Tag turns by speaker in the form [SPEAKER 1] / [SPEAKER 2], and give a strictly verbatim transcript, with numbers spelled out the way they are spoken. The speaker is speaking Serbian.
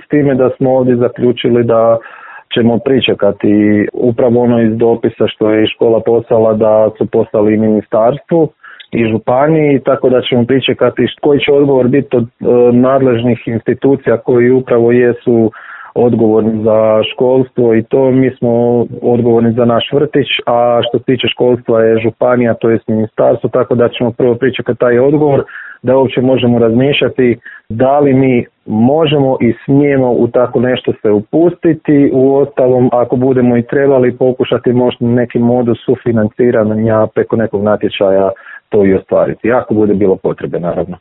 [SPEAKER 1] S time da smo ovdje zaključili da ćemo pričekati upravo ono iz dopisa što je škola poslala da su poslali i ministarstvu i županiji, tako da ćemo pričekati koji će odgovor biti od e, nadležnih institucija koji upravo jesu odgovorni za školstvo i to mi smo odgovorni za naš vrtić, a što se tiče školstva je županija, to je ministarstvo, tako da ćemo prvo pričekati taj odgovor da uopće možemo razmišljati da li mi možemo i smijemo u tako nešto se upustiti, u ostalom ako budemo i trebali pokušati možda neki modus sufinanciranja preko nekog natječaja to i ostvariti, ako bude bilo potrebe naravno.